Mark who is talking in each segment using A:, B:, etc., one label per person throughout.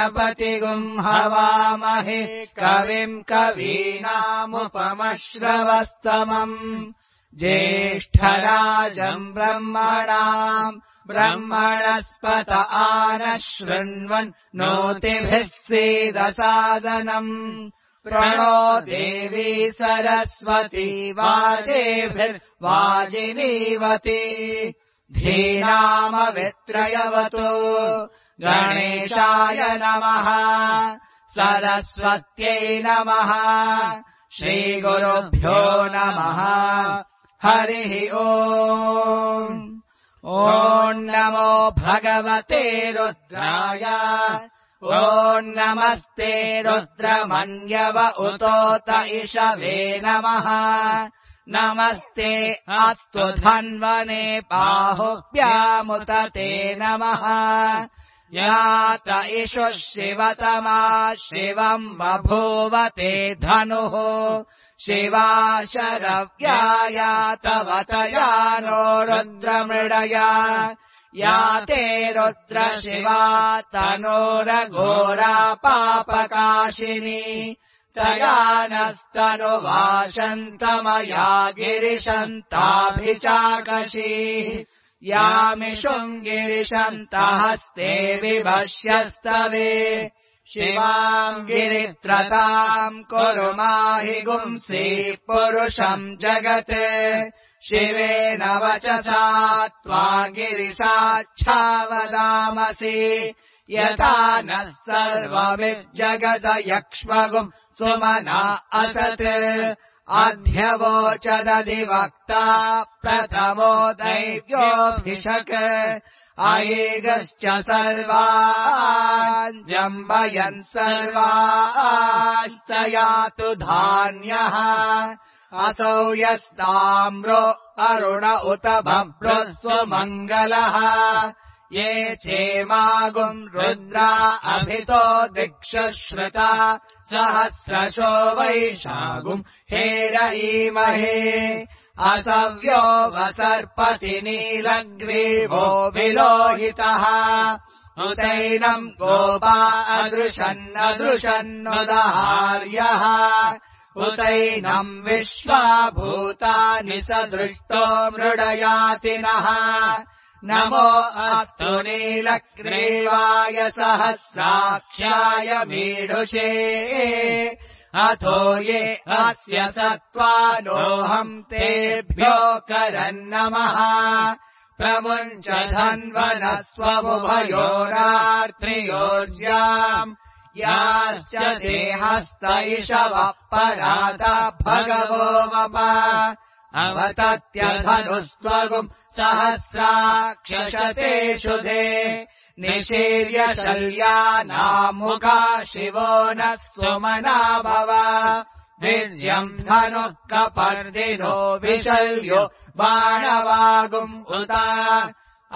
A: गणपतिगुम् हवामहे कविम् कवीनामुपमश्रवस्तमम् ज्येष्ठराजम् ब्रह्मणस्पत आनः शृण्वन् नोतिभिः सीदसादनम् प्रणो देवी सरस्वती वाजेभिर्वाजिनीवती धीनामवित्रयवतु गणेशाय नमः सरस्वत्यै नमः श्रीगुरुभ्यो नमः हरिः ओम् ॐ नमो भगवते रुद्राय ॐ नमस्ते रुद्रमन्यव उतोत इषवे नमः नमस्ते अस्तु धन्वने बाहुभ्यामुत ते नमः यात इषु शिवतमा शिवम् बभूव ते धनुः शिवा शरव्यायातवतया नो रुद्रमृडया या ते रुद्र शिवा तनोरघोरा पापकाशिनी तया नस्तनुवाशन्तमया गिरिशन्ताभिचाकशी यामिषुम् गिरिशन्तहस्ते विभष्यस्तवे शिवाम् गिरित्रताम् कुरु माहि गुंसि पुरुषम् जगत् शिवेन वचसा त्वा गिरिसाच्छावदामसि यथा नः सर्वमिज्जगदयक्ष्मगुम् सुमना असत् अध्यवोचदधिवक्ता प्रथमो दैव्योऽभिषक् अयेगश्च सर्वान् जम्बयन् सर्वाश्च यातु धान्यः असौ यस्ताम्रो अरुण उत भभ्रः सुमङ्गलः ये चेमागुम् रुद्रा अभितो दिक्षुश्रुता सहस्रशो वैशागुम् हेरयीमहे असव्यो वसर्पति नीलग्रीवो विलोहितः उतैनम् गोपा अदृशन्नदृशन्नुदहार्यः उतैनम् विश्वाभूतानि सदृष्टो मृडयातिनः नमो अस्तु नीलग्रीवाय सहस्राक्ष्याय मीढुषे अथो ये अस्य सत्त्वानोऽहम् तेभ्यो करन्नमः प्रमुञ्च धन्वनस्त्वमुभयोरात्रियोर्ज्याम् याश्च देहस्त इषवः पराता भगवो वप अवतत्यधनुस्त्वगुम् सहस्राक्षशतेषु दे निशीर्य शल्यानामुखा शिवो नः सुमना भव वीर्यम् धनुः कपर्दिनो विशल्यो बाणवागुम् उता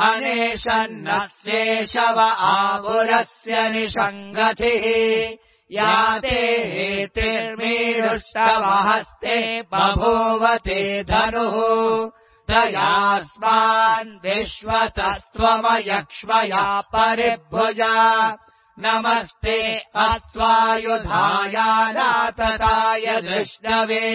A: अनेशन्नः शेषव आपुरस्य निषङ्गतिः या ते हेतिर्मीरुष्टवहस्ते बभूवते धनुः तयास्मान् विश्वतस्त्वमयक्ष्मया परिभुजा नमस्ते अस्त्वायुधायानातताय धृष्णवे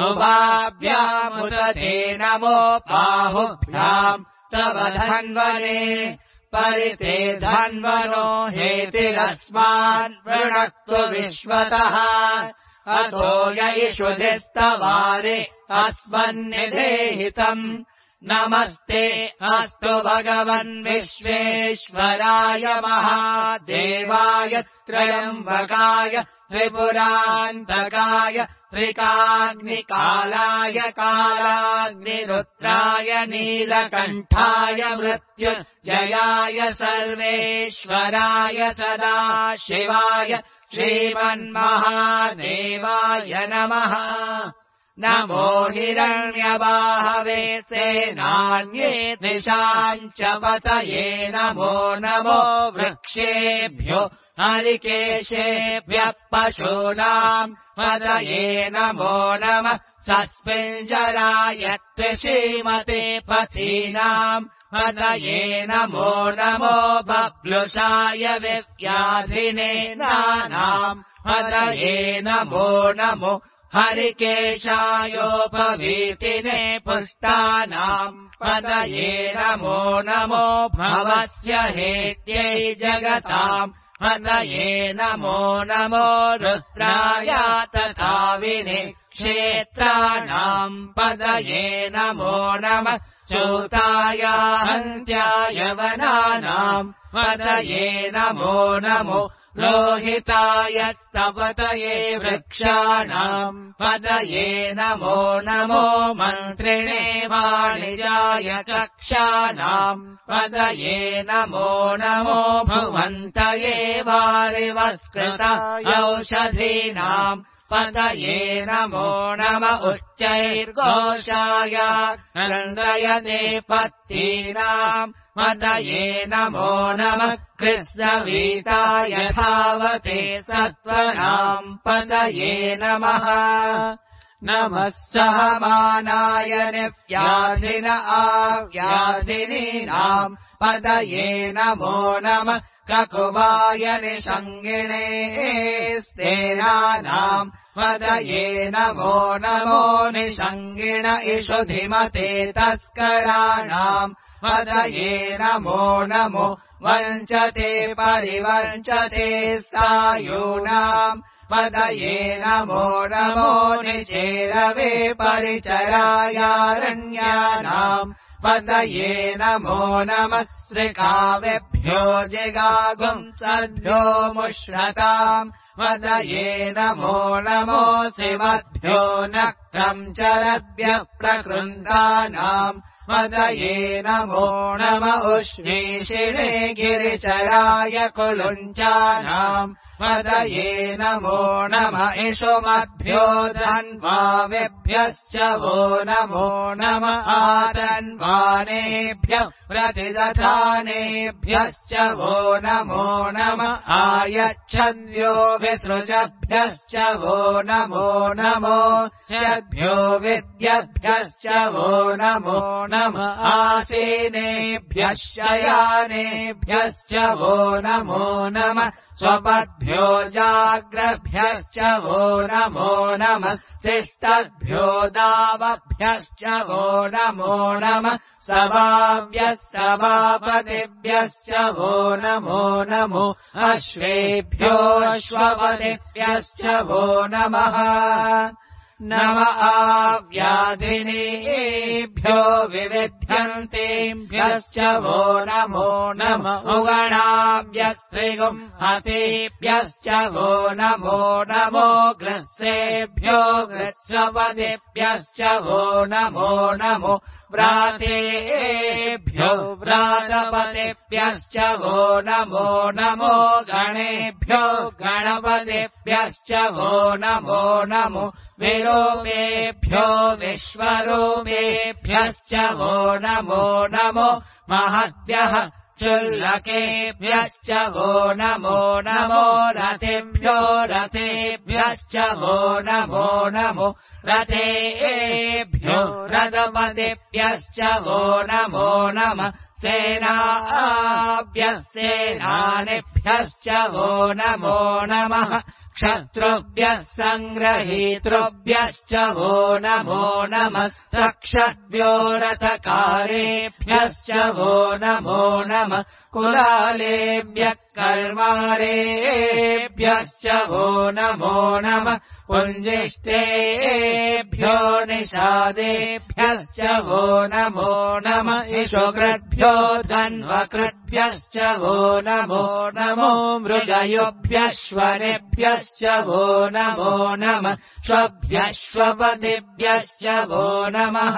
A: उभाभ्यामुत ते नमो बाहुभ्याम् तव धन्वने परिते धन्वनो हेतिरस्मान् वृणक्तु विश्वतः अतो यैषुधिस्तवारे अस्मन्निधेहितम् नमस्ते अस्तु भगवन् विश्वेश्वराय महादेवाय त्रयम्बकाय त्रिपुरान्तकाय त्रिकाग्निकालाय कालाग्निरुद्राय नीलकण्ठाय मृत्युञ्जयाय सर्वेश्वराय सदाशिवाय श्रीमन्महादेवाय नमः नमो हिरण्यबाहवे सेनान्ये दिशाम् च पतये नमो नमो वृक्षेभ्यो हरिकेशेभ्यः पशूनाम् पतये नमो नमः सस्मिञ्जराय त्वशीमते पथीनाम् पतये नमो नमो बब्लुषाय विव्याधिने नानाम् पतये नमो नमो हरिकेशायोपवीतिने पुष्टानाम् पतये नमो नमो भवस्य हेत्यै जगताम् पतये नमो नमो रुद्राय तथा विने क्षेत्राणाम् पतये नमो नमः चूताय हन्त्याय वनानाम् पतये नमो नमो लोहिताय स्तपतये वृक्षाणाम् पतये नमो नमो मन्त्रिणे वाणिजाय कक्षाणाम् पतये नमो नमो भुवन्तये वारिवस्कृताय औषधीनाम् पतये नमो नम उच्चैर्घोषाय नन्दयते पत्तीनाम् पतये नमो नमः कृत्सवीताय धावते सत्त्वनाम् पतये नमः नमः सहमानाय निव्याधिन आव्याधिनीनाम् पतये नमो नमः ककुवाय निषङ्गिणे स्तेनानाम् पतये नमो नमो निषङ्गिण इषुधिमते तस्कराणाम् पतये नमो नमो वञ्चते परिवञ्चते सायूनाम् पतये नमो नमो निचेरवे परिचरायारण्यानाम् पतये नमो नमः श्रिकावेभ्यो जिगागुंसभ्यो मुष्णताम् पतये नमो नमो शिवभ्यो नक्तम् चरभ्यः प्रकृन्दानाम् पतये नमो नम उष्णीषिणे गिरिचराय कुलुञ्चानाम् पतये नमो नम इषुमभ्यो धन्वावेभ्यश्च वो नमो नम आतन्वानेभ्यः प्रतिदधानेभ्यश्च वो नमो नम आयच्छद्भ्यो विसृजभ्यश्च वो नमो नमो चद्भ्यो विद्यभ्यश्च वो नमो नम आसीनेभ्यः शयानेभ्यश्च वो नमो नम स्वपद्भ्यो जाग्रभ्यश्च वो नमो नमस्तिष्ठद्भ्यो दावभ्यश्च वो नमो नमः सभाभ्यः सभापतिभ्यश्च वो नमो नमो अश्वेभ्यो अश्वपतिभ्यश्च वो नमः नम आव्याधिनेभ्यो विविध्यन्तेभ्यश्च वो नमो नम उगणाभ्यस्त्रिगुम् हतेभ्यश्च वो नमो नमो ग्रस्सेभ्यो ग्रस्वपतिभ्यश्च वो नमो नमो व्रातेभ्यो व्रातपतिभ्यश्च वो नमो नमो गणेभ्यो गणपतिभ्यश्च वो नमो नमो विरूपेभ्यो विश्वरूपेभ्यश्च वो नमो नमो महद्भ्यः चुल्लकेभ्यश्च वो नमो नमो रथेभ्यो रथेभ्यश्च वो नमो नमो रथेभ्यो रथपतिभ्यश्च वो नमो नमः सेनाभ्यः सेनानिभ्यश्च वो नमो नमः क्षत्रुभ्यः सङ्ग्रहीतृभ्यश्च वो नमो नमस्तक्षद्भ्यो रथकारेभ्यश्च वो नमो नमः कुलालेभ्यः कर्मारेभ्यश्च वो नमो नमः पुञ्जिष्टेभ्यो निषादेभ्यश्च वो नमो नमः इषुकृद्भ्यो धन्वकृद्भ्यश्च वो नमो नमो मृगयोभ्यश्वरेभ्यश्च वो नमो नमः श्वभ्यश्वपतिभ्यश्च वो नमः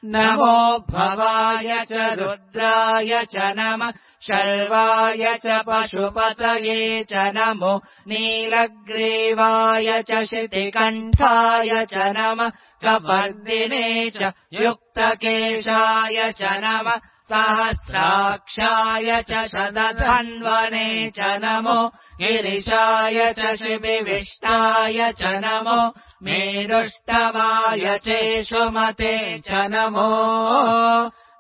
A: नमो भवाय च रुद्राय च नमः शर्वाय च पशुपतये च नमो नीलग्रीवाय च शितिकण्ठाय च नमः कपर्दिने च युक्तकेशाय च नमः सहस्राक्षाय च शतधन्वने च नमो गिरिशाय च शिबिविष्टाय च नमो मेरुष्टवाय चेषुमते च नमो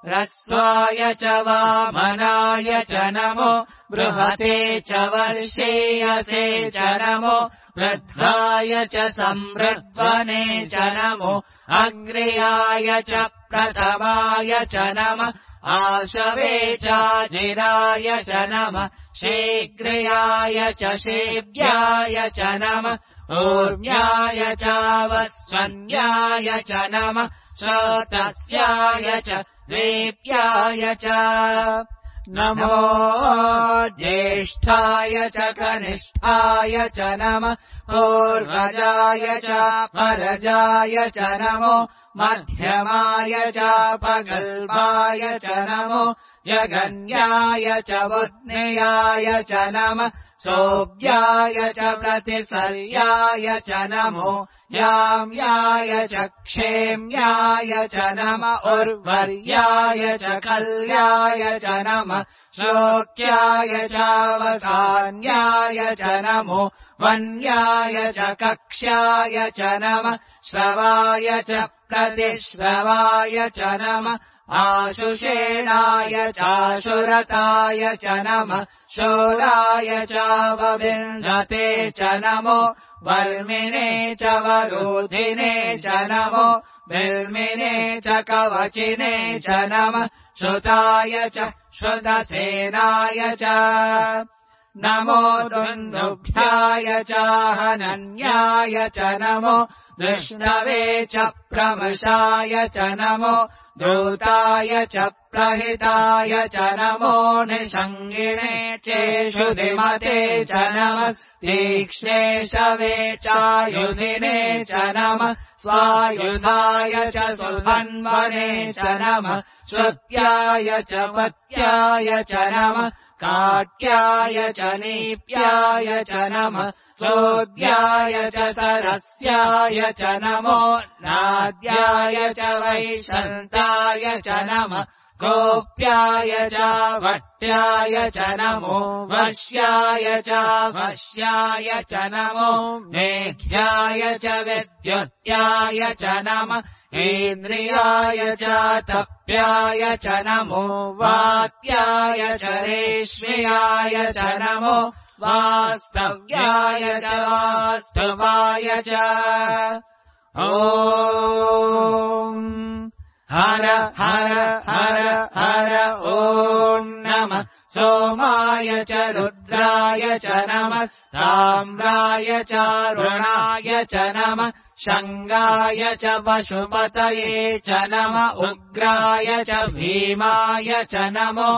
A: ह्रस्वाय च वामनाय च नमो बृहते च वर्षेयसे च नमो वृद्धाय च संवृद्वने च नमो अग्र्याय च प्रथमाय च नमः आशवे चाजिराय च नमः शीघ्र्याय च शीव्याय च नमः ऊर्म्याय चावस्वन्याय च नमः श्रोतस्याय च द्वीप्याय च नमो ज्येष्ठाय च कनिष्ठाय च नमः पूर्वजाय च परजाय च नमो मध्यमाय च पगल्वाय च नमो जगन्याय च बुध्नियाय च नमः सोऽव्याय च प्रतिसर्याय च नमो याम्याय च क्षेम्याय च नमः उर्वर्याय च कल्याय च नमः श्लोक्याय चावसान्याय च नमो वन्याय च कक्ष्याय च नमः श्रवाय च प्रतिश्रवाय च नमः आशुषेणाय चाशुरताय च नमः शोराय चावविन्दते च नमो वर्मिणे च वरोधिने च नमो बिल्मिने च कवचिने च नमः श्रुताय च श्रुतसेनाय च नमो दुन्दुभ्याय च हनन्याय च नमो विष्णवे च प्रमशाय च नमो दूताय च प्रहिताय च नमो निषङ्गिणे चेषुधिमते च नमः तीक्ष्णे शवे चायुधिने च नमः स्वायुधाय च सुधन्वने च नमः श्रुत्याय च पत्याय च नमः काट्याय च नीप्याय च नमः सोऽद्याय च सरस्याय च नमो नाद्याय च वैशन्ताय च नमः गोप्याय च भट्ट्याय च नमो वश्याय च वश्याय च नमो मेघ्याय च विद्युत्याय च नमः इन्द्रियाय च तप्याय च नमो वात्याय च रेश्म्याय च नमो वास्तव्याय च वास्तवाय च ॐ हर हर हर हर ॐ नमः सोमाय च रुद्राय च नमः ताम्राय च रुणाय च नमः शङ्गाय च पशुपतये च नमः उग्राय च भीमाय च नमो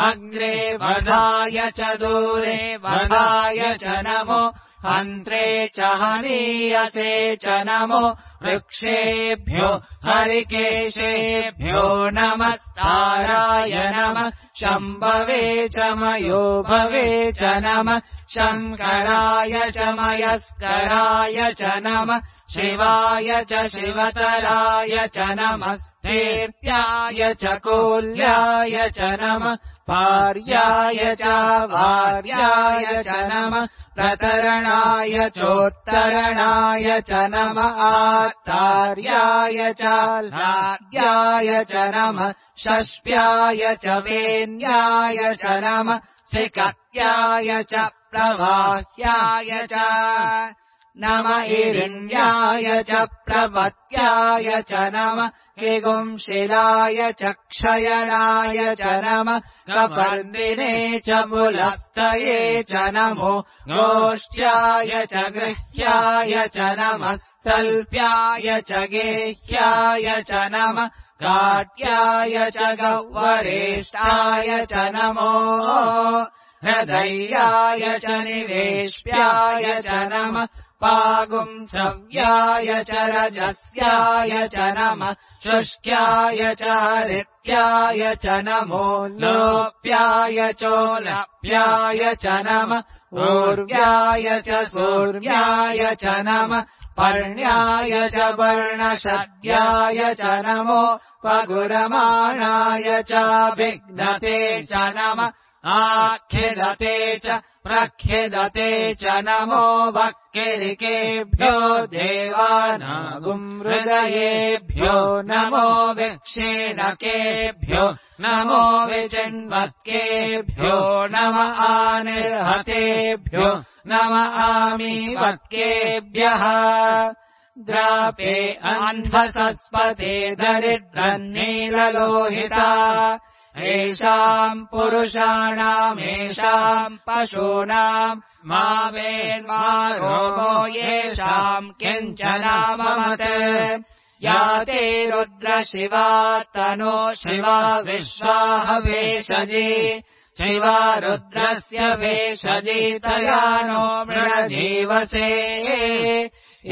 A: अग्रे वधाय च दूरे वधाय च नमो हन्त्रे च हनीयसे च नमो वृक्षेभ्यो हरिकेशेभ्यो नमस्ताराय नमः शम्भवे च मयोभवे च नमः शङ्कराय च मयस्कराय च नमः शिवाय च शिवतराय च नमः स्थित्याय च कोल्याय च नमः पार्याय च वार्याय च नमः प्रतरणाय चोत्तरणाय च नमः आत्तार्याय च लाद्याय च नमः षष्प्याय च वेन्याय च नमः सिकत्याय च प्रवाह्याय च नमः हिरण्याय च प्रपत्याय च नमः किगुंशिलाय च क्षयणाय च नमः कपर्दिने च पुलस्तये च नमो गोष्ठ्याय च गृह्याय च नमः स्थल्प्याय च गेह्याय च नमः काट्याय च गह्वरेष्ठाय च नमो हृदयाय च निवेश्याय च नमः पागुंसव्याय च रजस्याय च नमः शुष्क्याय च हरित्याय च नमो लोप्याय चोलप्याय च नमः ऊर्व्याय च सूर्याय च नमः पर्ण्याय च वर्णशद्याय च नमो पगुरमाणाय च विघ्नते च नमः आख्यदते च प्रख्यदते च नमो वक्किरिकेभ्यो देवानागुंहृदयेभ्यो नमो विक्षेणकेभ्यो नमो विचिन्वत्केभ्यो नम आनिर्हतेभ्यो नम आमीवत्केभ्यः द्रापे अन्धसस्पते दरिद्रन्नीललोहिता येषाम् पुरुषाणामेषाम् पशूनाम् मा वेन्मा रोमो येषाम् किञ्चनाममत् या ते रुद्रशिवा तनो शिवा विश्वाह वेशजी शिवा रुद्रस्य वेशजी तया नो मृळजीवसे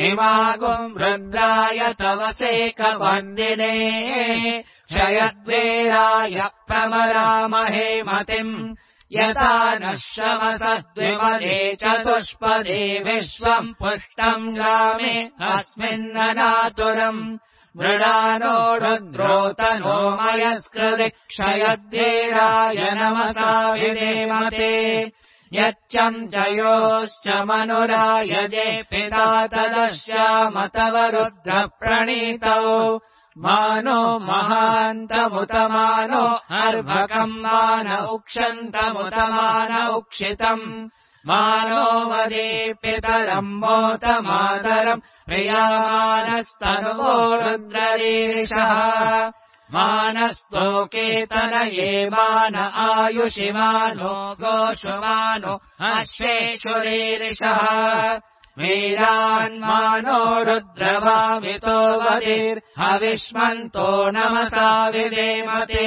A: इमागुम् रुद्राय तवसेकवन्दिने क्षयद्वेराय प्रमरामहे मतिम् यथा नः शमसद्विमदे चतुष्पदे विश्वम् पुष्टम् गामे अस्मिन्ननातुरम् मृडानो रुद्रोतनो मयस्कृति क्षयद्वेराय नमसा विधेमते यच्चम् जयोश्च मनुरायजे पिता तदश्याम तव रुद्रप्रणीतौ मानो महान्तमुतमानो अर्भकम् मान उक्षन्तमुतमान उक्षितम् मानो वदे पितरम् मोतमातरम् प्रियामानस्तनुवो रुद्ररीरिषः मानस्तोकेतनये मान आयुषिमानो गोषुमानो अश्वेषुरीरिषः वीरान्मानो रुद्रभावितो वदिर्हविष्मन्तो नमसा विधेमते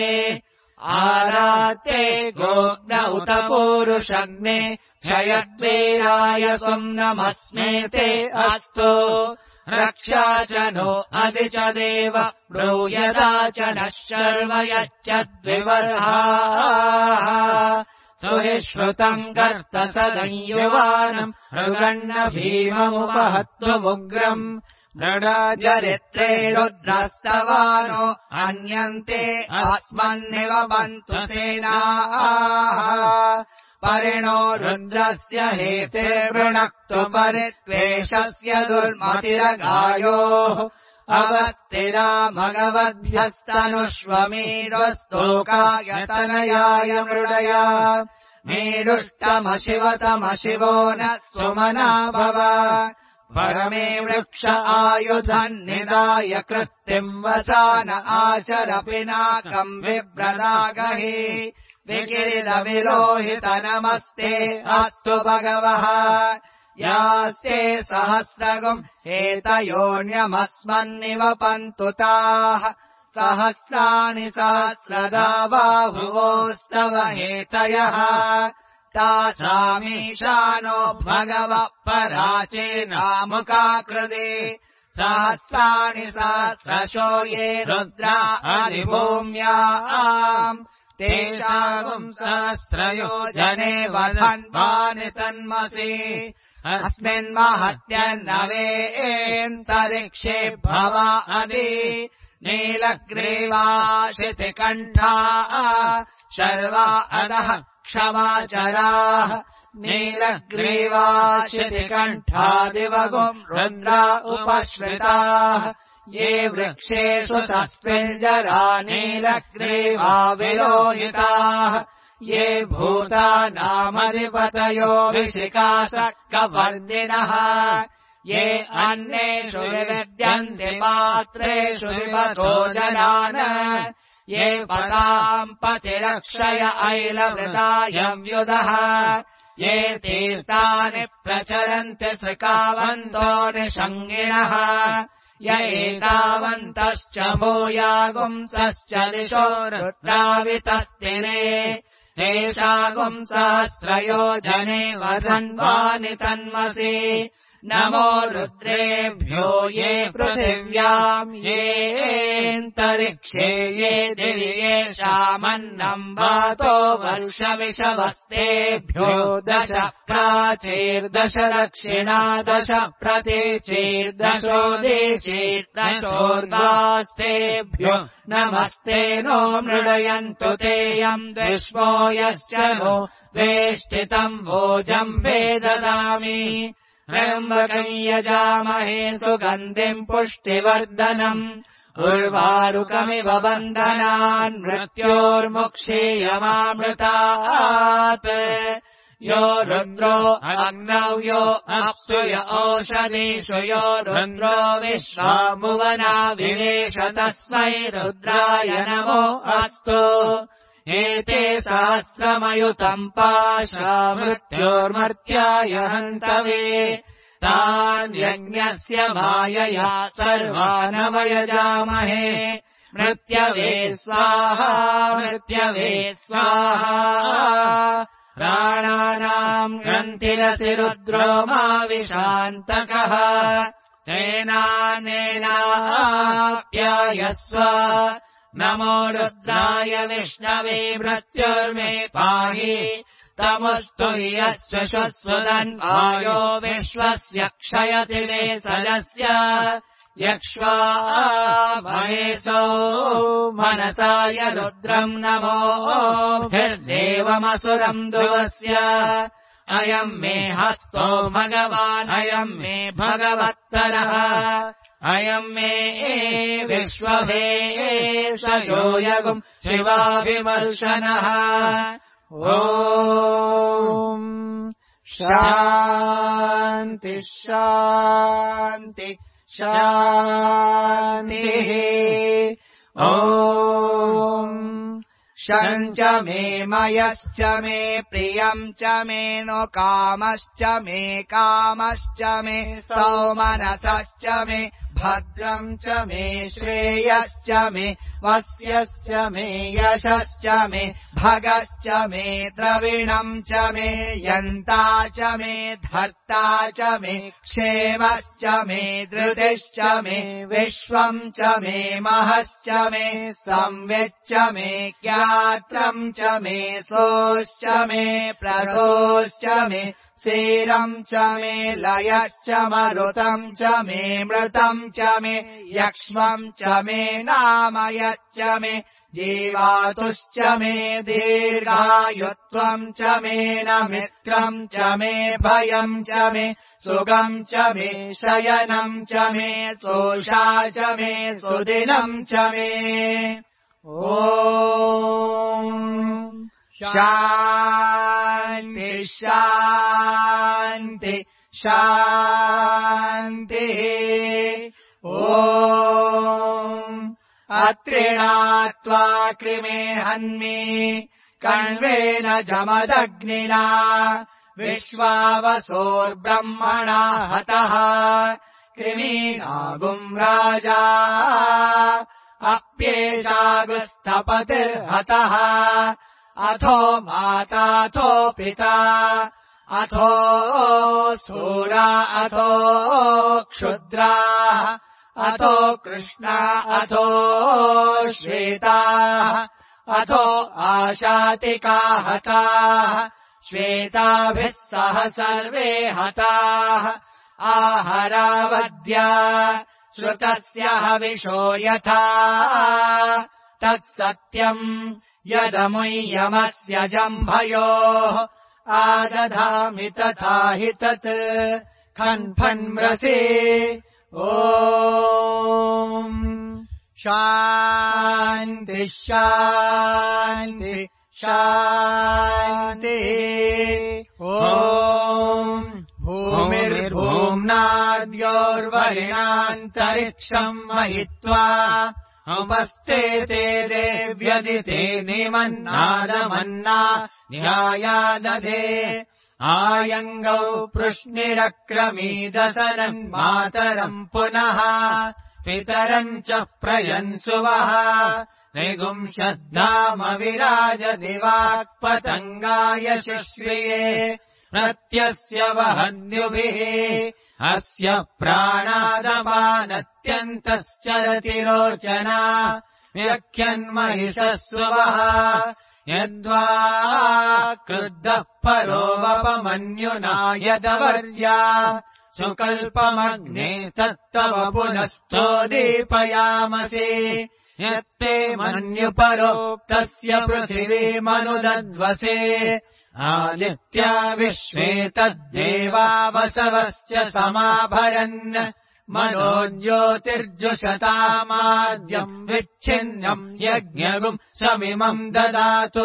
A: आरात्ते गोग्न उत पूरुषग्ने क्षयद्वीराय स्वम् नमस्मेते अस्तु रक्षा च नो अधि च देव ब्रूयदा च नः शर्व यच्चद्विवर्हाः सुहि श्रुतम् गर्त सदंयुवानम् मृगण्ण भीममुपहत्वमुग्रम् मृडाजरित्रे रुद्रस्तवानो अन्यन्ते अस्मन्निव बन्तु सेनाः परिणो रुद्रस्य हेतिर्वृणक्तु परित्वेषस्य दुर्मतिरगायोः अवस्थिरा मगवद्भ्यस्तनुष्वमीडस्तोकाय मृडया मीडुष्टमशिवतमशिवो न सुमना भव परमे वृक्ष आयुधन्निदाय कृत्तिम् वसान आचर पिनाकम् बिभ्रदागहि विकिरिदविलोहित नमस्ते अस्तु भगवः यास्ते सहस्रगुम् एतयोऽन्यमस्मन्निव पन्तु ताः सहस्राणि सहस्रदा बाहुवोस्तव हेतयः तासामीशानो भगवः पराचेनामुकाकृते सहस्राणि सहस्रशो ये रुद्रा अधिभूम्याम् तेषाम् सहस्रयो जने वधन्वानि तन्मसि अस्मिन्महत्यन्नवेन्तरिक्षे भवा अधि नीलग्रीवाशितिकण्ठाः शर्वा अधः क्षमाचराः नीलग्रीवाशितिकण्ठादिवगुम् रुद्रा उपश्रिताः ये वृक्षेषु तस्मिञ्जरा नीलग्रीवा विलोहिताः ये भूतानामधिपतयो विशिकासक्कवर्दिनः ये अन्येषु विविद्यन्ति पात्रेषु विपतो जनान् ये पदाम् पतिरक्षय ऐलवृतायव्युदः ये तीर्थानि प्रचरन्ति सृकावन्तो निषङ्गिणः य एतावन्तश्च भूयागुंसश्च दिशो रुद्रावितस्तिने तेषागुम् सहस्रयो जने वधन्वानि तन्मसि नमो रुद्रेभ्यो ये पृथिव्याम् येऽन्तरिक्षे ये दिवि येषामन्नम् वातो वर्षविषवस्तेभ्यो 10 प्राचीर्दश दक्षिणा 10 प्रतीचीर्दशोदीचीर्दशोर्गास्तेभ्यो नमस्ते नो मृडयन्तु तेयम् द्विष्वो यश्च नो वेष्टितम् वोजम् वेददामि त्र्यम्बकम् यजामहे सुगन्धिम् पुष्टिवर्धनम् उर्वारुकमिव बन्धनान् मृत्योर्मुक्षीयमामृतात् यो रुद्रो अग्नौ यो अप्सु य ओषधीषु यो रुद्रो विश्वामुवना विवेश तस्मै रुद्राय नमो अस्तु एते सहस्रमयुतम् पाशा मृत्योर्मर्त्याय हन्तवे तान् यज्ञस्य मायया सर्वानवयजामहे मृत्यवे स्वाहा मृत्यवे स्वाहा प्राणानाम् ग्रन्थिरसि रुद्रो मा विशान्तकः तेनानेनाप्यायस्व नमो रुद्राय विष्णवे मृत्युर्मे पाहि तमुस्तु यस्य श्वसुदन्वायो विश्वस्य क्षयति वेसलस्य यक्ष्वा महेशो मनसाय रुद्रम् नमोभिर्देवमसुरम् दुवस्य अयम् मे हस्तो भगवान् अयम् मे भगवत्तरः अयम् मे विश्वभेषजो यगुम् शिवाभिमर्शनः ॐ शान्ति शान्ति शान्तिः ॐ शञ्च मे मयश्च मे प्रियम् च मे नो कामश्च मे कामश्च मे सौमनसश्च मे भद्रम् च मे श्रेयश्च मे वस्यश्च मे यशश्च मे भगश्च मे द्रविणम् च मे यन्ता च मे धर्ता च मे क्षेमश्च मे धृतिश्च मे विश्वम् च मे महश्च मे संविच्च मे ज्ञात्रम् च मे सोश्च मे प्रसोश्च मे सीरम् च मे लयश्च मरुतम् च मे मृतम् च मे यक्ष्मम् च मे नामयच्च मे जीवातुश्च मे दीर्घायुत्वम् च मे न मित्रम् च मे भयम् च मे सुगम् च मे शयनम् च मे सोषा च मे सुदिनम् च मे ॐ शान्ति शान्ति शान्तिः ॐ अत्रिणात्वा कृमे हन्मि कण्वेन जमदग्निना विश्वावसोर्ब्रह्मणा हतः कृमीनागुम् राजा अप्येषागुस्थपतिर्हतः अथो माताथो पिता अथो सूरा अथो क्षुद्रा अथो कृष्णा अथो श्वेता अथो आशातिका हताः श्वेताभिः सह सर्वे हताः आहरावद्या श्रुतस्य हविषो यथा तत्सत्यम् यदमुय्यमस्य जम्भयोः आदधामि तथा हि तत् खन्फन्मृषि ॐ शान्ति शान्ति शान्तिः ॐ भूमिर्भूम्नाद्योर्वरिणान्तरिक्षम् महित्वा उपस्थिते देव्यदिते निमन्नादमन्ना न्यायादधे आयङ्गौ पृश्निरक्रमीदसनन्मातरम् पुनः पितरम् च प्रयन्सुवः निगुंशद्धाम विराज दिवाक्पतङ्गाय शिश्रिये प्रत्यस्य वहन्युभिः अस्य प्राणादपानत्यन्तश्चरति रोचना व्यख्यन्महिषस्वः यद्वा क्रुद्धः परोवपमन्युना यदवर्या सुकल्पमग्ने तत्तव पुनस्तोदीपयामसि यत्ते मन्युपरोक्तस्य पृथिवीमनुदध्वसे आदित्या विश्वे तद्देवा वसवस्य समाभरन् मनोज्योतिर्जुषतामाद्यम् विच्छिन्नम् यज्ञगुम् समिमम् ददातु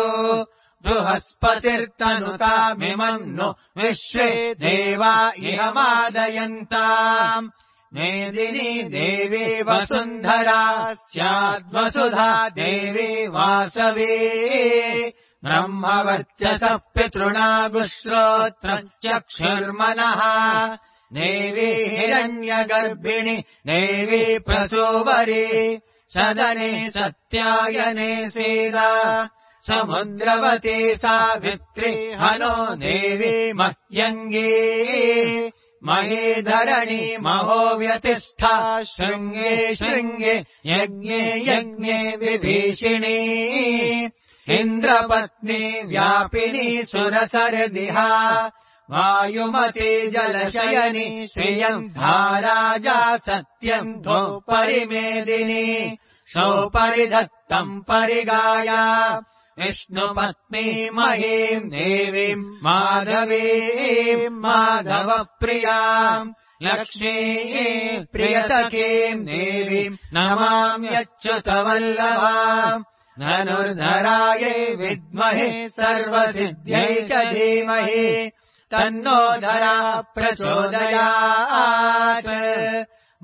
A: बृहस्पतिर्तनुतामिमम् नु विश्वे देवा इहमादयन्ताम् मेदिनी देवी वसुन्धरा स्याद्वसुधा देवी वासवी ब्रह्मवर्चसः पितृणागुश्रोत्रम् चक्षुर्मनः देवी हिरण्यगर्भिणि देवी प्रसूवरी सदने सत्यायने सीदा समुद्रवती सावित्री हनो देवी मह्यङ्गी महीधरणी महो व्यतिष्ठा शृङ्गे शृङ्गे यज्ञे यज्ञे विभीषिणी इन्द्रपत्नी व्यापिनी सुरसरदिहा वायुमती जलशयनी श्रियम् धाराजा सत्यम् धोपरिमेदिनी शोपरिधत्तम् परिगाया विष्णुपत्नी महीम् देवीम् माधवीम् माधवप्रियाम् लक्ष्मी प्रियसखीम् देवीम् नमाम्यच्युतवल्लभाम् धनुर्धरायै विद्महे सर्वसिद्ध्यै च धीमहि तन्नो धरा प्रचोदयात्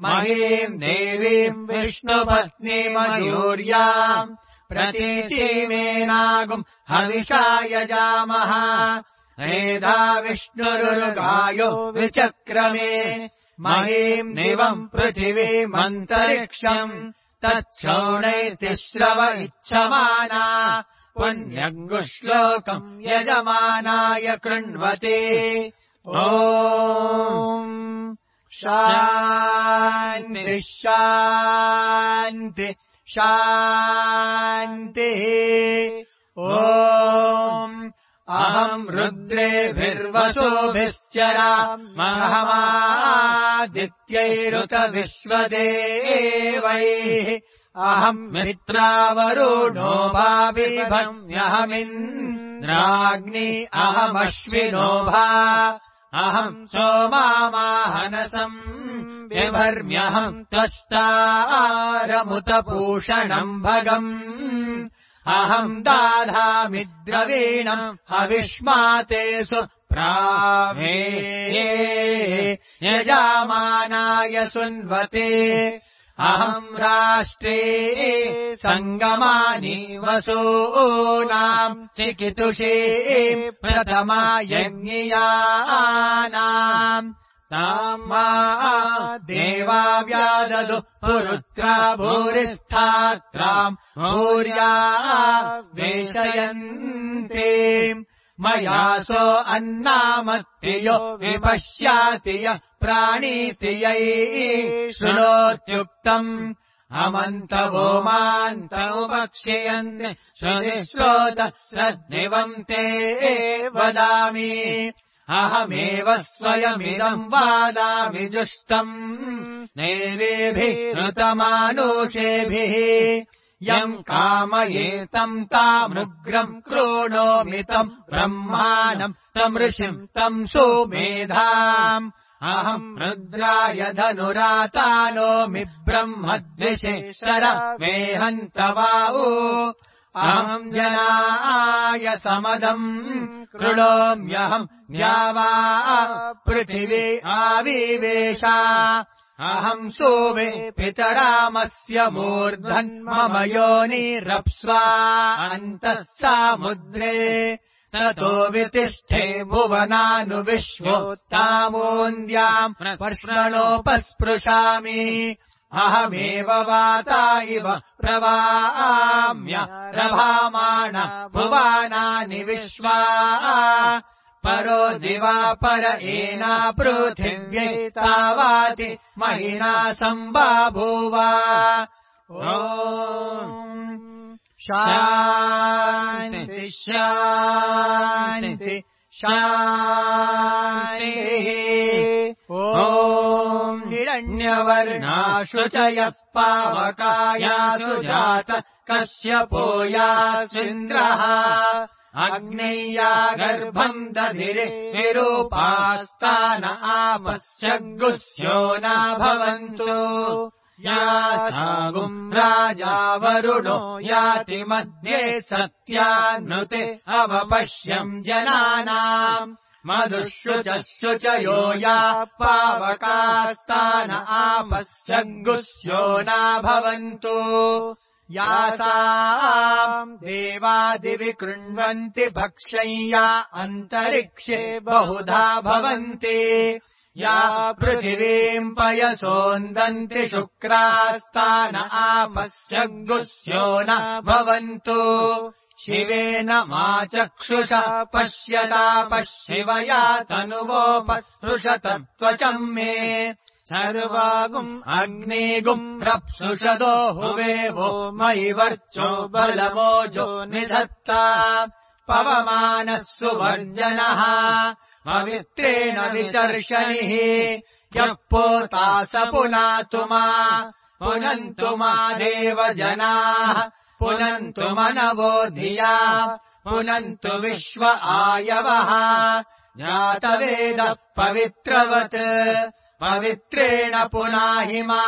A: महीम् देवीम् विष्णुपत्नीमयूर्याम् प्रतीचीमेनागुम् हविषा यजामः मेधा विष्णुरुगायो विचक्रमे महीम् दिवम् पृथिवीमन्तरिक्षम् तच्छोणैतिश्रव इच्छमाना पुण्यङ्गुश्लोकम् यजमानाय कृण्वते ॐ शान्ति शान्ति शान्तिः ॐ अहम् रुद्रेभिर्वसुभिश्चरामहमादित्यैरुत विश्वदेवैः अहम् मित्रावरुणो भाविभम्यहमिन्द्राग्नि अहमश्विनो भा अहम् सोमामाहनसम् बिभर्म्यहम् त्वष्टारमुतपूषणम् भगम् अहम् दाधामि द्रवीणम् हविष्मातेषु प्रावे यजामानाय सुन्वते अहम् राष्ट्रे सङ्गमानि वसूनाम् चिकितुषे प्रथमा यज्ञियानाम् ताम् मा देवा व्याददु पुरुत्रा भूरिस्थात्राम् भूर्या वेशयन्ते मयासो अन्नामत्तियो विपश्याति यः प्राणीति यै शृणोत्युक्तम् अमन्तवो मान्तमुपक्षयन्ति श्रुतिश्रोतः श्रद्धिवम् ते वदामि अहमेव स्वयमिदम् वादामि जुष्टम् देवेभिः ऋतमानुषेभिः यम् कामयेतम् तामृग्रम् क्रोणोमितम् ब्रह्माणम् तम् ऋषिम् तम् सुमेधाम् अहम् रुद्राय धनुरातानोमि ब्रह्मद्विषेश्वर वेहन्तवावो अहम् जनाय समदम् कृणोम्यहम् द्यावा पृथिवी आविवेशा अहम् सोवे पितरामस्य मूर्धन्मम योनिरप्स्वा अन्तः सामुद्रे ततो वितिष्ठे भुवनानुविश्वोत्तामोन्द्याम् पर्ष्णोपस्पृशामि अहमेव वाता इव प्रवाम्य रभामाण भुवानानि विश्वा परो दिवापर एना पृथिव्यै तावाति महिना सम्बाभूव ॐ शान्ति शान्ति शान्तिः ॐ हिरण्यवर्णाशु च यः पावकायासु जातः कश्यपो यास्विन्द्रः अग्नेया गर्भम् दधिरे विरूपास्तान आपस्य गुस्यो न भवन्तु यासागुम् राजा वरुणो याति मध्ये सत्यान्नुते अवपश्यम् जनानाम् मधुःशुचयो या पावकास्तान आपस्य गुस्यो न भवन्तु यासाम् देवादिवि कृण्वन्ति भक्ष्यया अन्तरिक्षे बहुधा भवन्ति या पृथिवीम् पयसोन्दन्ति शुक्रास्तान आपस्य गुस्यो न भवन्तु शिवेन मा चक्षुषा पश्यता पश्यवया तनुवोपसृषतत्त्वचम् मे सर्वागुम् अग्निगुम् रप्सुषदो हुवेवो मयि वर्चो बलमोजो निधत्ता पवमानः सुवर्जनः पवित्रेण विचर्षणिः यः पोता स पुनातु मा पुनन्तु मा देवजनाः पुनन्तु मनवो धिया पुनन्तु विश्व आयवः जातवेदः पवित्रवत् पवित्रेण पुनाहि मा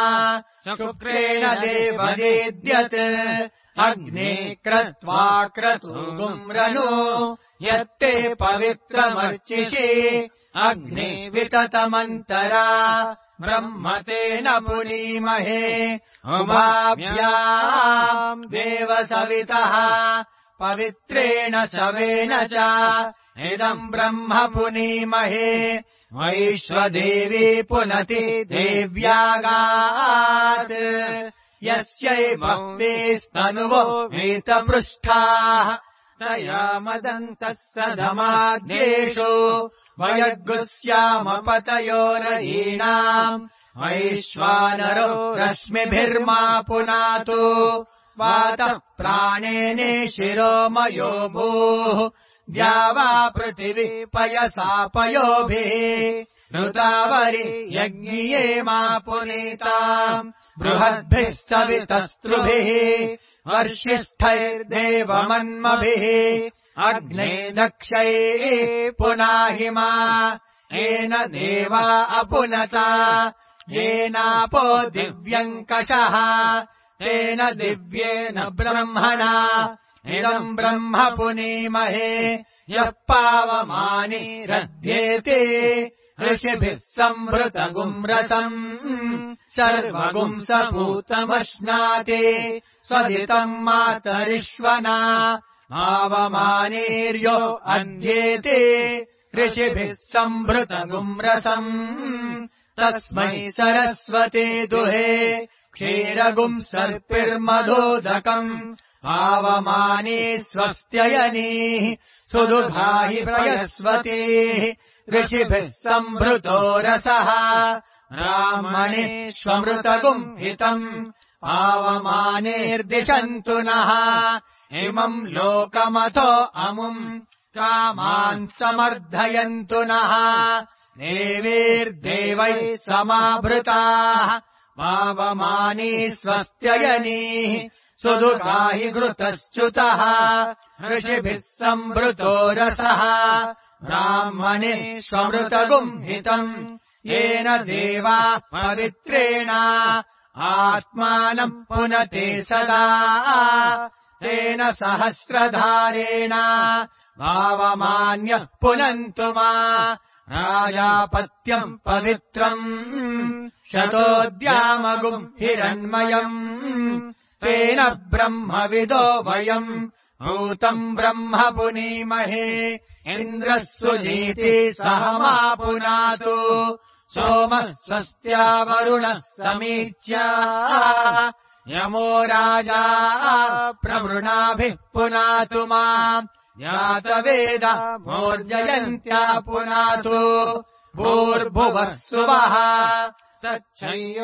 A: शुक्रेण देवदेद्यत् अग्ने क्रत्वा क्रतुगुम् रनु यत्ते पवित्रमर्चिषि अग्ने विततमन्तरा ब्रह्मतेन पुनीमहे उभाभ्याम् देवसवितः पवित्रेण शवेन च इदम् ब्रह्म पुनीमहे वैश्वदेवी पुनति देव्यागात् यस्यै भक्तिस्तनुवो वीतपृष्ठाः तया मदन्तः सधमाद्येषु वयगुस्यामपतयोरहीणाम् वैश्वानरो रश्मिभिर्मा पुनातु वातः प्राणेने शिरोमयो भूः द्यावा पृथिवी पयसा पयोभिः ऋतावरि यज्ञिये मा पुनीताम् बृहद्भिः सवितस्त्रुभिः वर्षिष्ठैर्देवमन्मभिः अग्ने दक्षैः पुनाहि मा येन देवा अपुनता येनापो दिव्यङ्कषः तेन दिव्येन ब्रह्मणा इदम् ब्रह्म पुनीमहे यः पावमानि रध्येते ऋषिभिः संवृतगुम् रसम् सर्वगुम् सपूतमश्नाति स्वदितम् मातरिष्वना पावमानेर्यो अध्येते ऋषिभिः संवृतगुम् रसम् तस्मै सरस्वते दुहे क्षीरगुम् सर्पिर्मधोदकम् पावमाने स्वस्त्ययनीः सुदुघाहि प्रयस्वतेः ऋषिभिः संभृतो रसः ब्राह्मणेष्वमृतगुम् हितम् पावमानेर्दिशन्तु नः इमम् लोकमथो अमुम् कामान् समर्धयन्तु नः देवीर्देवैः समाभृताः पावमाने स्वस्त्ययनीः सुदुघाहि घृतश्च्युतः ऋषिभिः संभृतो रसः ब्राह्मणेष्वमृतगुम् हितम् येन देवा पवित्रेण आत्मानम् पुनते सदा तेन सहस्रधारेण भावमान्यः पुनन्तु मा राजापत्यम् पवित्रम् शतोद्यामगुम् हिरण्मयम् तेन ब्रह्मविदो वयम् भूतम् ब्रह्म पुनीमहे इन्द्रः सुजीति सह मा पुनातु सोमः स्वस्त्या वरुणः समीच्या यमो राजा प्रवृणाभिः पुनातु मा जातवेद मोर्जयन्त्या पुनातु भूर्भुवः सुवः तच्छयोरावृणीमहे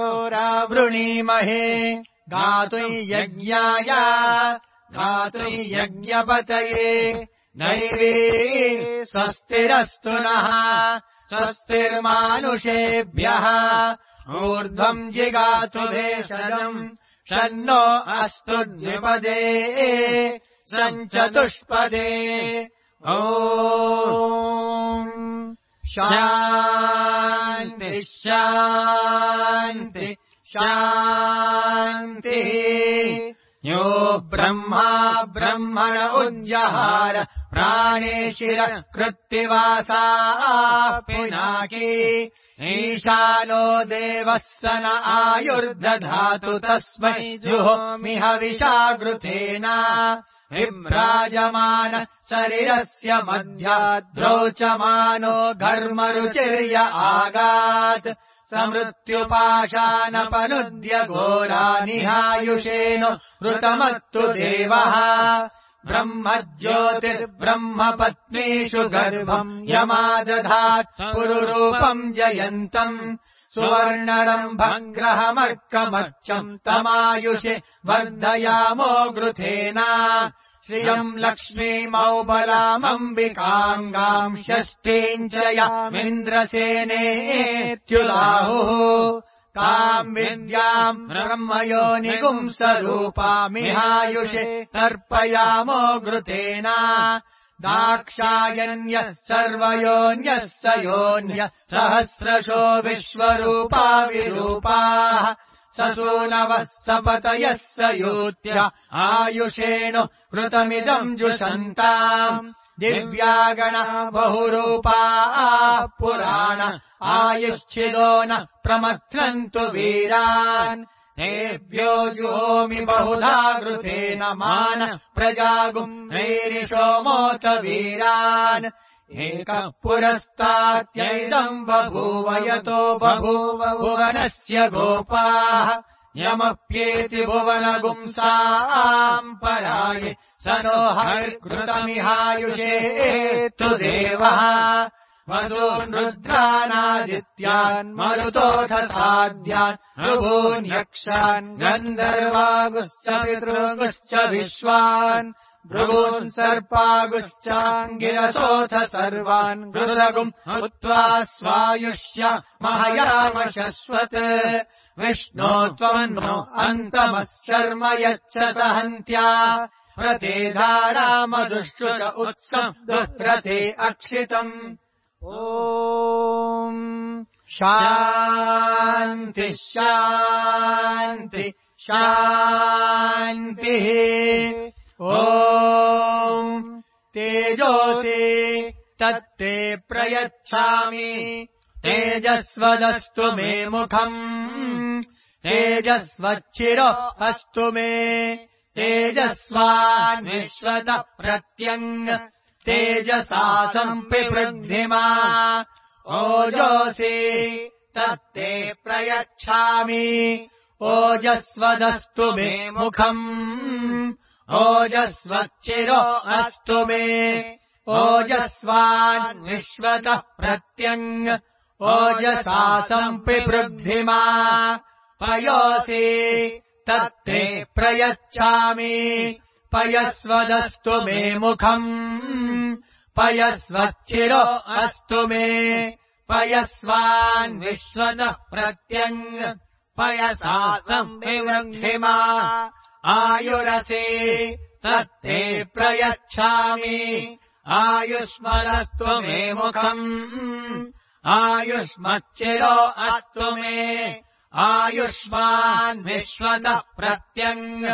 A: गातुयज्ञाय गातुयज्ञपतये नैवे स्वस्तिरस्तु नः स्वस्तिर्मानुषेभ्यः ऊर्ध्वम् जिगातु भेषजम् शन्नो अस्तु द्विपदे सञ्चतुष्पदे ॐ शान्ति शान्ति शान्तिः यो ब्रह्मा ब्रह्मण उज्जहार प्राणेशिर कृत्तिवासाः पिनाकी ईशानो देवः स न आयुर्दधातु तस्मै जुहोमि हविषागृतेन विभ्राजमान शरीरस्य मध्याद्रोचमानो घर्मरुचिर्य आगात् समृत्युपाशानपनुद्य घोरानिहायुषेनो ऋतमत्तु देवः ब्रह्मज्योतिर्ब्रह्मपत्नीषु गर्भम् यमादधात् पुरुरूपम् जयन्तम् सुवर्णरम्भग्रहमर्कमर्चम् तमायुषे वर्धयामो घृतेन श्रियम् लक्ष्मीमौबलामम्बिकाङ्गाम् षष्ठीम् च यामिन्द्रसेनेत्युलाहुः ताम् विद्याम् ब्रह्मयोनिगुम् स्वरूपामिहायुषे तर्पयामो घृतेन दाक्षायण्यः सर्वयोन्यः स योन्यः सहस्रशो विश्वरूपा विरूपाः ससूनवः सपतयः स यूत्य आयुषेणु कृतमिदम् जुषन्ताम् दिव्यागणा बहुरूपाः पुराण आयुश्चिदो न प्रमथ्नन्तु वीरान् तेभ्यो जुहोमि बहुधा घृतेन मान प्रजागुम् नैरिषोमोत वीरान् एकः पुरस्तात्यैदम् बभूव यतो बभूव भुवनस्य गोपाः यमप्येति भुवनगुंसाम् पराये स नो हरिर्घृतमिहायुषे तु देवः वसून् रुद्रानादित्यान् मरुतोऽथ साध्यान् ऋभून् यक्षान् गन्धर्वागुश्च पितृगुश्च विश्वान् भृगून् सर्पागुश्चाङ्गिरसोऽथ सर्वान् गृरगुम् हुत्वा स्वायुष्य महयाम शश्वत् विष्णो त्वम् नो अन्तमः शर्म यच्छ सहन्त्या प्रते धारामधुश्रुत उत्सब्दुप्रते अक्षितम् ॐ शान्ति शान्ति शान्तिः ॐ तेजोऽसि तत्ते प्रयच्छामि तेजस्वदस्तु मे मुखम् तेजस्वच्छिरो अस्तु मे तेजस्वान्विश्वत प्रत्यङ्ग तेजसा सम्पिवृद्धिमा ओजोऽसि तत्ते प्रयच्छामि ओजस्वदस्तु मे मुखम् ओजस्वच्चिरो अस्तु मे ओजस्वान्विश्वतः प्रत्यङ्ग ओजसा सम्पिवृद्धिमा पयोऽसि तत्ते प्रयच्छामि पयस्वदस्तु मे मुखम् पयस्वच्चिरो अस्तु मे पयस्वान्विश्वतः प्रत्यङ्ग पयसा सम्पिवृद्धिमा आयुरसि तत्ते प्रयच्छामि आयुष्मदस्तु मे मुखम् आयुष्मच्चिरो अस्तु मे आयुष्मान्विश्वतः प्रत्यङ्ग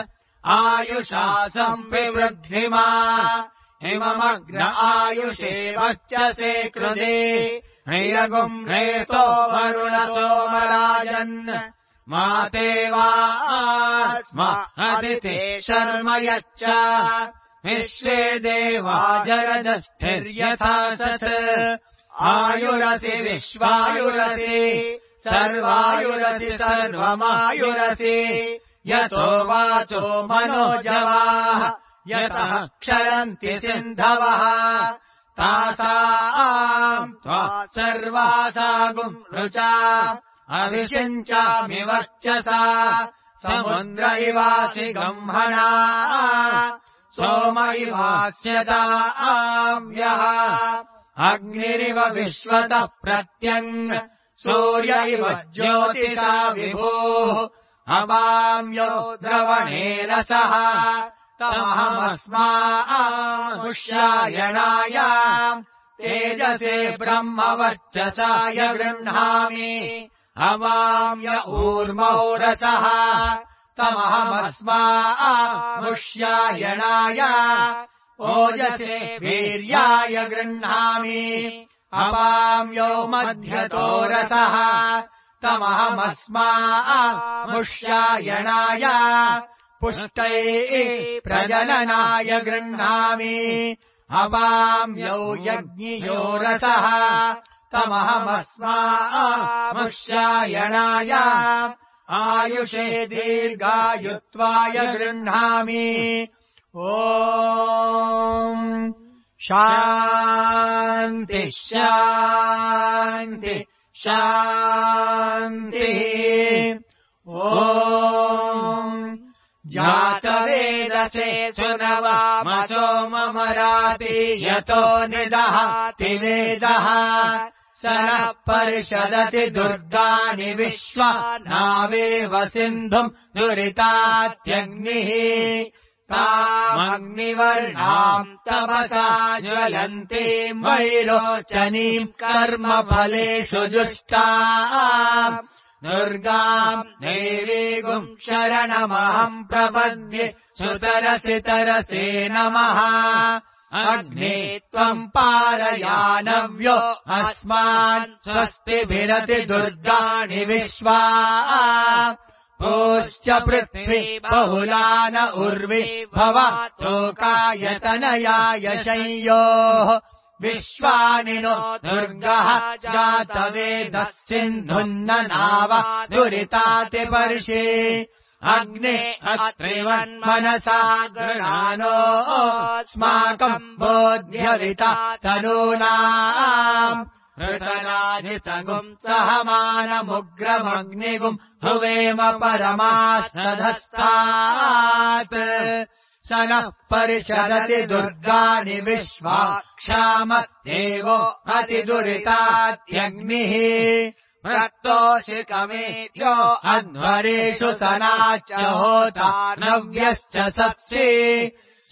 A: आयुषा सम्पिवृद्धिमा इममग्र आयुषे वर्चसे कृते ह्रियगुम् ह्रेतो वरुण सोमराजन् माते वा स्म अदिते शर्म यच्च विश्वे देवा जगदस्थिर्यथा सत् आयुरसि विश्वायुरसि सर्वायुरसि सर्वमायुरसि यतो वाचो मनोजवाः यतः क्षरन्ति सिन्धवः तासाम् त्वा सर्वासागुम् रुचा अभिषिञ्चामि वर्चसा समुद्र इवासि गम्हना सोम इवास्यताम्यः अग्निरिव विश्वतः प्रत्यङ् सूर्य इव ज्योतिषा विभोः अवाम्यो द्रवणे रसः तमहमस्मामुष्यायणाय तेजसे ब्रह्मवर्चसाय गृह्णामि अवाम्य ऊर्मौ रसः तमहमस्मामुष्यायणाय ओजसे वीर्याय गृह्णामि अवाम्यो मध्यतो रसः तमहमस्मामुष्यायणाय पुष्टैः प्रजननाय गृह्णामि अवाम्यो यज्ञियो रसः तमहमस्मामुष्यायणाय आयुषे दीर्घायुत्वाय गृह्णामि ॐ शान्ति शान्ति शान्तिः ॐ जातवेदसे सुनवामसो ममराति यतो निदहाति वेदः स नः परिषदति दुर्गाणि विश्वा नावेव सिन्धुम् दुरितात्यग्निः तामग्निवर्णाम् तपसा ज्वलन्तीम् वैरोचनीम् कर्मफलेषु जुष्टाम् दुर्गाम् देवीगुम् शरणमहम् प्रपद्ये सुतरसि तरसे नमः अग्ने त्वम् पारयानव्यो अस्मान् स्वस्तिभिरति दुर्गाणि विश्वा पोश्च पृथ्वी बहुलान उर्वी भवतोकायतनयाय शय्योः विश्वानि नो दुर्गः जातवेदः सिन्धुन्न नाव दुरितातिपर्षि अग्ने अत्रिवन्मनसा गृणानोऽस्माकम् बोध्यविता तनूनाम् ऋतनाजितगुम् सहमानमुग्रमग्निगुम् हुवेम परमास्तधस्तात् स नः परिषदति दुर्गाणि विश्वा क्षामदेवो अतिदुरितात्यग्निः प्रक्तोषिकमेत्यो अध्वरेषु सनाच्च होता नव्यश्च सत्सि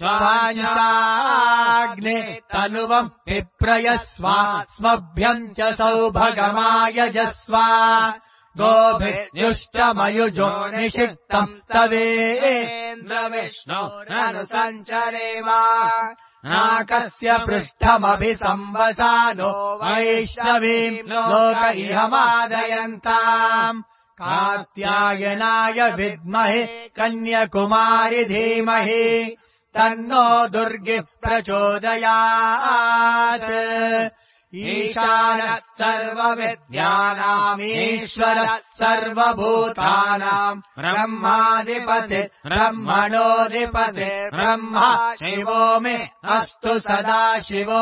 A: स्वाग्ने तनुवम् विप्रयस्वा स्मभ्यम् च सौभगमायजस्वा गोभिर्युष्टमयुजो निषिक्तम् तवेन्द्रविष्णोरनुसञ्चरेव नाकस्य पृष्ठमभिसंवसानो वैष्णवीम् लोक इहमादयन्ताम् कात्यायनाय विद्महे कन्याकुमारि धीमहि तन्नो दुर्गिः प्रचोदयात् ईशानः सर्वविद्यानामीश्वरः सर्वभूतानाम् ब्रह्माधिपति ब्रह्मणोऽधिपति ब्रह्मा शिवो मे अस्तु सदा शिवो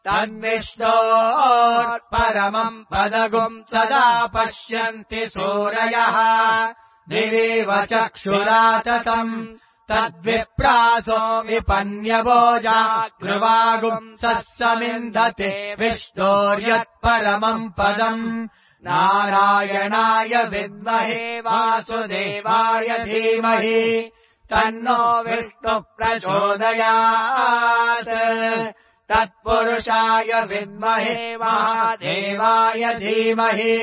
A: तद्विष्णोर्परमम् पदगुम् सदा पश्यन्ति सूरयः दिवीव चक्षुराततम् तद्विप्रासो विपन्यवोजा गृवागुम् सत्समिन्धते विष्णोर्यत्परमम् पदम् नारायणाय विद्महे वासुदेवाय धीमहि तन्नो विष्णुः प्रचोदयात् तत्पुरुषाय विद्महे महादेवाय धीमहि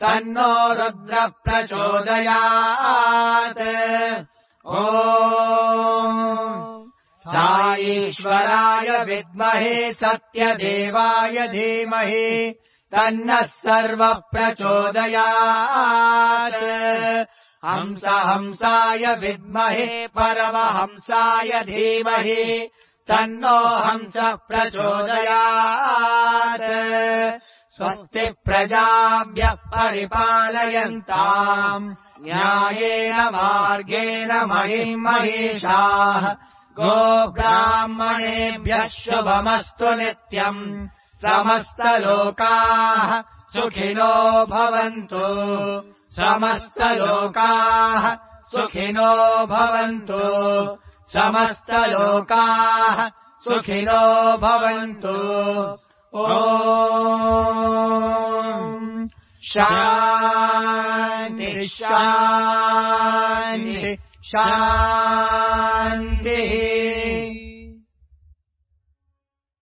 A: तन्नो रुद्रः प्रचोदयात् ॐ साईश्वराय विद्महे सत्यदेवाय धीमहि तन्नः सर्वः प्रचोदयात् हंसाय विद्महे परमहंसाय धीमहि तन्नो हंसः प्रचोदयात् स्वस्ति प्रजाभ्यः परिपालयन्ताम् न्यायेन मार्गेण महिम् महिषाः गोब्राह्मणेभ्यः शुभमस्तु नित्यम् समस्तलोकाः सुखिनो भवन्तु समस्तलोकाः सुखिनो भवन्तु समस्तलोकाः सुखिनो भवन्तु ॐ शान्ति शान्ति शान्तिः